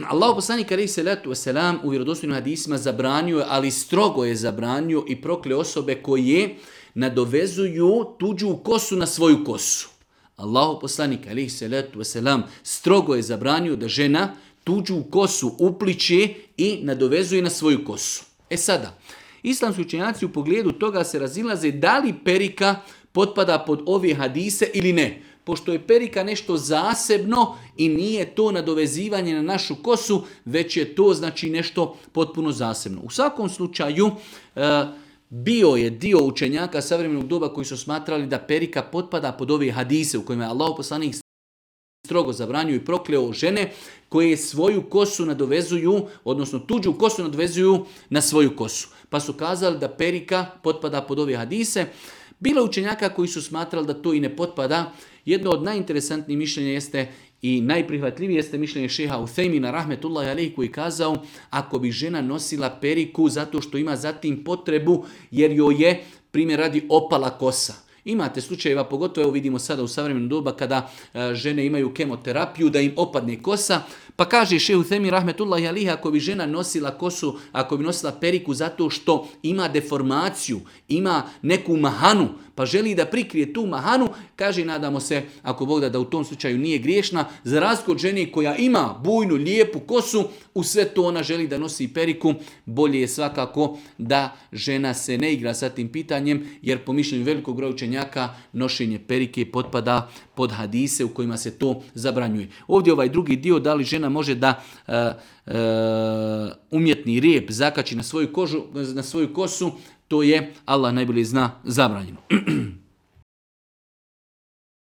Allahu poslanik alejhi selatu vesselam u vjerodostojnim hadisima zabranio je, ali strogo je zabranio i prokleo osobe koje nadovezuju tuđu kosu na svoju kosu. Allahu poslanik alejhi selatu vesselam strogo je zabranio da žena tuđu kosu upliče i nadovezuje na svoju kosu. E sada, islamski učenjaci u pogledu toga se razilaze da li perika potpada pod ove hadise ili ne. Pošto je perika nešto zasebno i nije to nadovezivanje na našu kosu, već je to znači nešto potpuno zasebno. U svakom slučaju, bio je dio učenjaka savremenog doba koji su smatrali da perika potpada pod ove hadise u kojima je Allahov poslanik strogo zabranio i prokleo žene koje svoju kosu nadovezuju, odnosno tuđu kosu nadovezuju na svoju kosu. Pa su kazali da perika potpada pod ove hadise. Bilo učenjaka koji su smatrali da to i ne potpada. Jedno od najinteresantnijih mišljenja jeste i najprihvatljivije jeste mišljenje šeha Uthejmina rahmetullahi alejhi koji kazao ako bi žena nosila periku zato što ima zatim potrebu jer joj je primjer radi opala kosa. Imate slučajeva, pogotovo evo vidimo sada u savremenom doba kada žene imaju kemoterapiju da im opadne kosa, pa kaže šejh Uthejmin rahmetullahi alejhi ako bi žena nosila kosu, ako bi nosila periku zato što ima deformaciju, ima neku mahanu, pa želi da prikrije tu mahanu, kaže nadamo se ako Bog da u tom slučaju nije griješna, za razliku od žene koja ima bujnu, lijepu kosu, u sve to ona želi da nosi periku, bolje je svakako da žena se ne igra sa tim pitanjem, jer po mišljenju velikog broja učenjaka nošenje perike potpada pod hadise u kojima se to zabranjuje. Ovdje ovaj drugi dio, da li žena može da umjetni rijep zakači na svoju kosu, to je Allah najbolje zna zabranjeno.